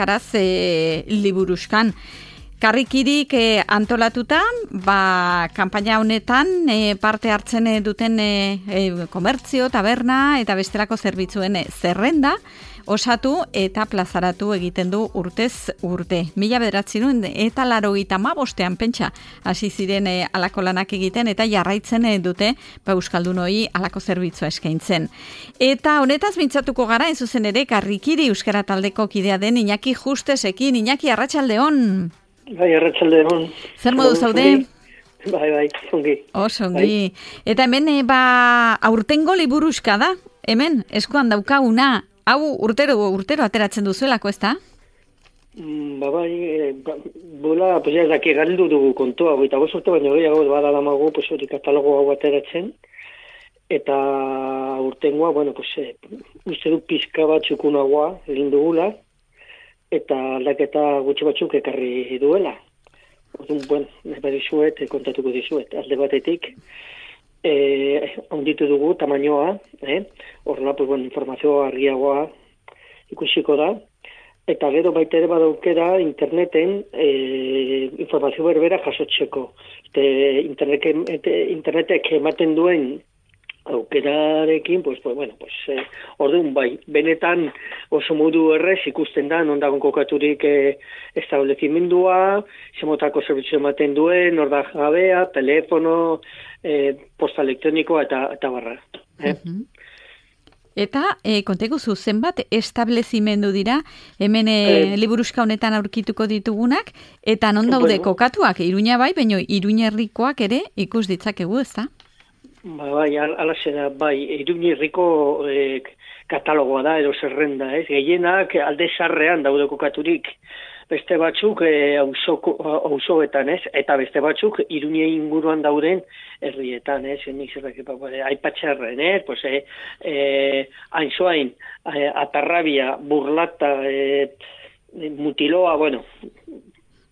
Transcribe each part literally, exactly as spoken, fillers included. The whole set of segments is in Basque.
Karaz e, liburuskan. Karrikirik e, antolatuta, ba, kanpaina honetan e, parte hartzen duten e, e, komertzio, taberna eta bestelako zerbitzuen e, zerrenda osatu eta plazaratu egiten du urtez urte. Mila bederatzirun eta larogeita hamabostean pentsa hasi ziren e, alako lanak egiten eta jarraitzen e, dute ba, euskaldunoi alako zerbitzua eskaintzen. Eta honetaz mintzatuko gara, ez zuzen ere, Karrikiri euskara taldeko kidea den Iñaki Justesekin. Iñaki, arratsaldeon. Bai, arratsaldeon. Zer modu zaude? Bai, bai, ongi. Oso, ongi. Bai. Eta hemen, e, ba, aurtengo liburuska da, hemen, eskuan daukaguna, hau urtero, urtero ateratzen duzuelako, ez da? Mm, ba, bai, e, ba, bola, pues ya, daki galdu dugu kontua, goita bozorte, baina gehiago bada damago, pues hori katalogo hau ateratzen, eta urtengoa, bueno, pues, e, uste du pizka bat txukunagoa, lindugula, eta aldaketa gutxi batzuk ekarri duela. Orduan, bueno, nahi dizuet, kontatuko dizuet. Alde batetik, eh, onditu dugu tamainoa, eh? Horrela, pues, bueno, informazioa argiagoa ikusiko da, eta gero baita ere badaukera interneten eh, informazio berbera jasotzeko. Este, internetek, internetek ematen duen aukerarekin, pues, pues, bueno, pues, eh, orduan bai, benetan oso modu errez ikusten da, non dagoen kokaturik eh, establezimendua, zemotako zerbitzu ematen duen, orda jabea, telefono, eh, posta elektronikoa eta, eta barra. Eh? Uh-huh. Eta, e, kontegu zu, zenbat establezimendu dira, hemen e, eh, liburuska honetan aurkituko ditugunak, eta non daude bueno, kokatuak, Iruña bai, baina Iruñerrikoak ere ikus ditzakegu, ez da? Ba, bai, alaxe da, bai, Iruñerriko eh, katalogoa da, edo zerrenda, ez? Gehienak alde zarrean daude kokaturik, beste batzuk eh, auzoetan, ez? Eta beste batzuk Iruñe inguruan dauden herrietan, ez? Nik zerrak, aipatxarren, ez? Pues, eh, eh, Ainzoain, eh, Atarrabia, Burlata, eh, Mutiloa, bueno,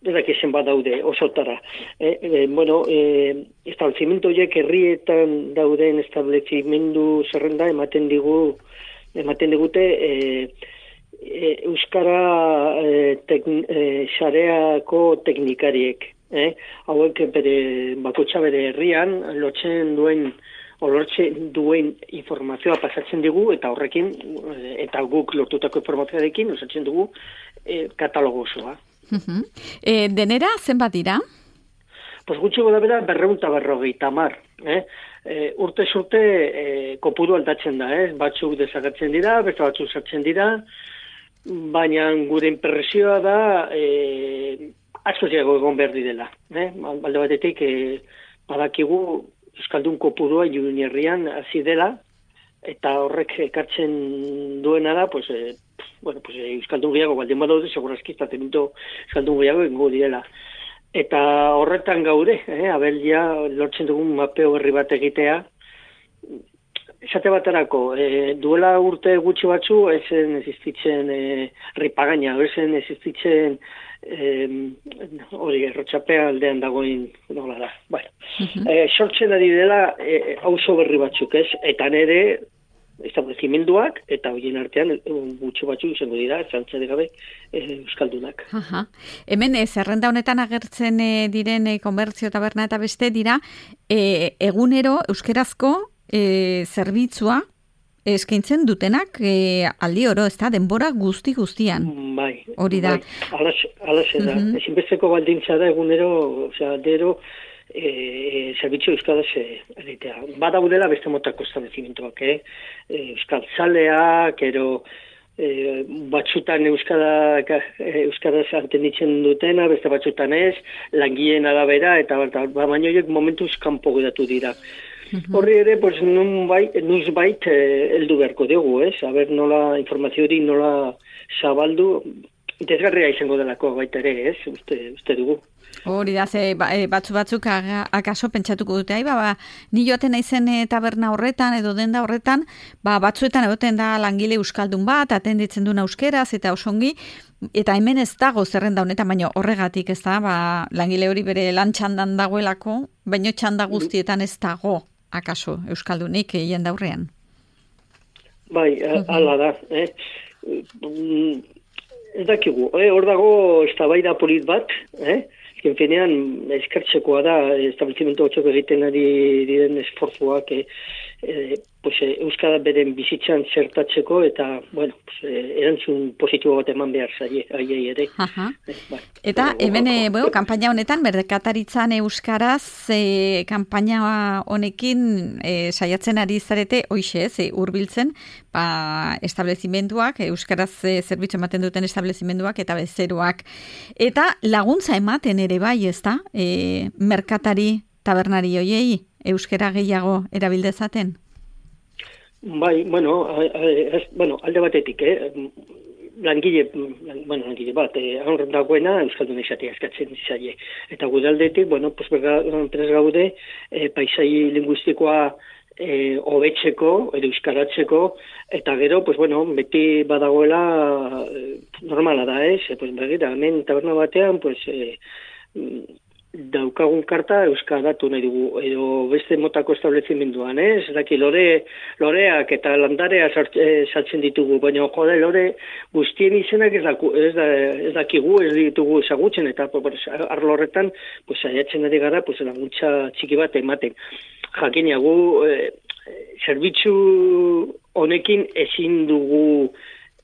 edak ezen bat daude, osotara. Eh, eh, bueno, eh, establezimento horiek herrietan dauden establezimendu zerrenda ematen digu, ematen digute eh, eh, Euskara eh, tekn, eh, xareako teknikariek. Eh? Hauek bere, bakotxa bere herrian, lotzen duen, olortzen duen informazioa pasatzen digu, eta horrekin, eta guk lortutako informazioarekin, osatzen dugu eh, katalogo osoa. Uh-huh. E, denera, zenbat dira? Pues gutxi goda bera, berreunta berrogeita mar. Eh? E, urte zurte e, kopuru aldatzen da, eh? Batzuk desagertzen dira, beste batzuk sartzen dira, baina gure impresioa da e, asko ziago egon behar direla. Eh? Balde batetik, e, badakigu euskaldun kopurua Iruñerrian hasi dela, eta horrek ekartzen duena da, pues, e, bueno, pues, euskaldun gehiago, baldin badaude, segurazki, estatemiento euskaldun gehiago ingo direla. Eta horretan gaude, eh, abeldia, lortzen dugun mapeo berri bat egitea, esate baterako, e, duela urte gutxi batzu, ezen existitzen e, ripagaina, ezen existitzen hori, e, errotxapea aldean dagoen, nola da. Bueno, uh-huh. e, sortzen ari dela e, auzo berri batzuk, ez? Eta nere, establezimenduak, eta horien artean gutxi batzuk izango dira, zantzade gabe, e, euskaldunak. Aha. Hemen, e, zerrenda honetan agertzen e, diren e, komertzio, taberna eta beste dira, e, egunero euskerazko e, zerbitzua eskaintzen dutenak e, aldi oro, ez da, denbora guzti guztian. Bai. Hori da. Bai. Alaxe da. Uh-huh. Ezinbesteko baldintza da egunero, osea, dero, E, zerbitzu euskaraz egitea. Badaudela beste motako establezimentuak, eh? E, euskal zaleak, ero e, batzutan euskara, euskaraz antenditzen dutena, beste batzutan ez, langileen arabera, eta baina horiek momentuz kanpo geratu dira. Uh-huh. Horri ere, pues, nun bait, nuz bait, heldu beharko dugu, ez? Aber nola informazio hori nola zabaldu, interesgarria izango delako baita ere, ez? Uste, uste dugu. Hori da, ze batzu batzuk akaso pentsatuko dute, ba, ba, ni joaten naizen e, taberna horretan edo denda horretan, ba, batzuetan egoten da langile euskaldun bat, atenditzen duen euskeraz eta osongi, eta hemen ez dago zerrenda honetan, baina horregatik ez da, ba, langile hori bere lan txandan dagoelako, baino txanda guztietan ez dago akaso euskaldunik egin daurrean. Bai, ala da, eh? ez dakigu, eh? Hor dago eztabaida polit bat, eh? Genfenean, eskertzekoa da, establezimentu hotxok egiten ari diren esforzuak, eh, eh, pues, eh, euskara beren bizitzan zertatzeko, eta, bueno, pues, eh, erantzun positibo bat eman behar zaie, aiei ere. Eh, bai. Eta, hemen, eh, bueno, kampaina honetan, merkataritzan euskaraz, eh, kampaina honekin eh, saiatzen ari zarete, hoixe ez, eh, urbiltzen, ba, establezimenduak, euskaraz eh, zerbitzu ematen duten establezimenduak eta bezeroak. Eta laguntza ematen ere bai, ez da, e, merkatari tabernari hoiei, euskara gehiago erabildezaten? Bai, bueno, a, a, ez, bueno, alde batetik, eh? Langile, bueno, langile bat, eh, aurren dagoena euskaldun izatea eskatzen zaie. Eta gudaldetik, bueno, pues, prez gaude, eh, paisai linguistikoa eh, hobetzeko, edo euskaratzeko, eta gero, pues, bueno, beti badagoela eh, normala da, ez? Eh? Pues, begira, hemen taberna batean, pues, eh, daukagun karta euskaratu nahi dugu, edo beste motako establezimenduan, ez? Eh? Daki, lore, loreak eta landarea sartzen ditugu, baina jode, lore guztien izenak ez, daku, ez, da, ez dakigu, ez ditugu ezagutzen, eta pues, arlo horretan, pues, saiatzen ari gara, pues, laguntza txiki bat ematen. Jakina, gu, eh, zerbitzu honekin ezin dugu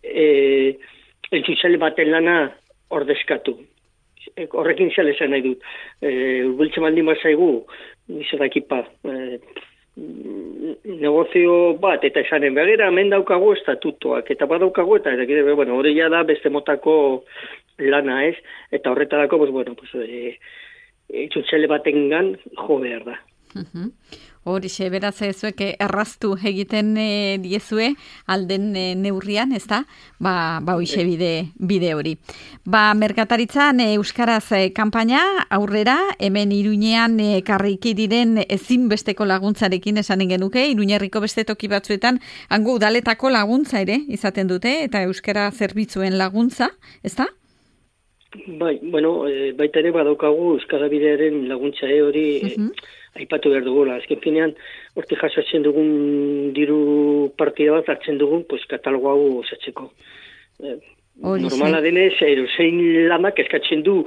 eh, eltsutzale baten lana ordezkatu. Horrekin zela esan nahi dut. E, Urbiltzen baldin bat zaigu, izadakipa, e, negozio bat, eta esanen begera, hemen daukagu estatutoak, eta badaukagu, eta eta bueno, hori ja da beste motako lana ez, eta horretarako, pues, bueno, pues, e, eltsutzale batengan jo behar da. Uh-huh. Horixe, beraz ezuek erraztu egiten e, diezue alden e, neurrian, ez da? Ba, ba hoixe bide, bide hori. Ba, merkataritzan e, euskaraz e, kanpaina aurrera, hemen Iruñean e, karriki diren ezinbesteko laguntzarekin esanen genuke, Iruñerriko beste toki batzuetan hango udaletako laguntza ere izaten dute, eta euskara zerbitzuen laguntza, ez da? Bai, bueno, e, baita ere badaukagu euskara bidearen laguntza e, hori uh-huh. e, aipatu behar dugula. Azken finean, hortik jasotzen dugun diru partida bat hartzen dugun, pues, katalogo hau osatzeko. E, normala denez, erozein lanak eskatzen du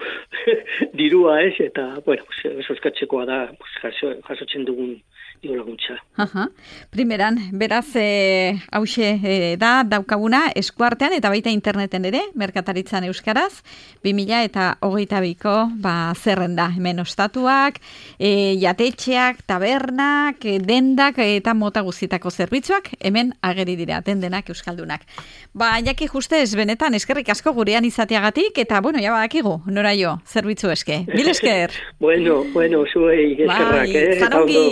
dirua ez, eta, bueno, eso eskatzekoa da pues, jaso, jasotzen dugun diru laguntza. Aha. Primeran, beraz, e, hause e, da, daukaguna, eskuartean eta baita interneten ere, merkataritzan euskaraz, bi mila eta hogeita biko, ba, zerrenda, hemen ostatuak, e, jatetxeak, tabernak, e, dendak eta mota guztitako zerbitzuak, hemen ageri dira, dendenak euskaldunak. Ba, jaki justez, benetan, eskerrik asko gurean izateagatik, eta, bueno, ja badakigu, nora jo, zerbitzu eske. Bil esker? bueno, bueno, zuei eskerrak, bai, eh? Zanongi.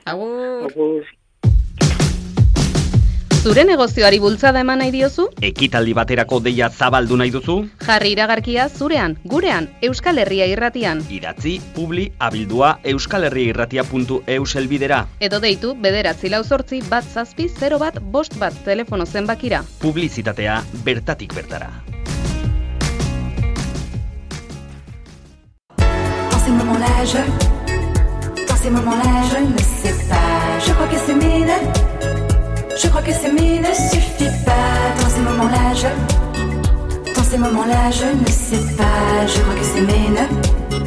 Agur. Agur. Zure negozioari bultzada eman nahi diozu? Ekitaldi baterako deia zabaldu nahi duzu? Jarri iragarkia zurean, gurean, Euskal Herria Irratian. Idatzi, publi, abildua, euskalherriairratia puntu e u selbidera. Edo deitu, bederatzi lau zortzi, bat zazpi, zero bat, bost bat, telefono zenbakira. Publizitatea bertatik bertara. Dans ces moments-là, je... Dans ces moments-là, je ne sais pas. Je crois que s'aimer ne... Je crois que s'aimer ne suffit pas. Dans ces moments-là, je... Dans ces moments-là, je ne sais pas. Je crois que s'aimer ne...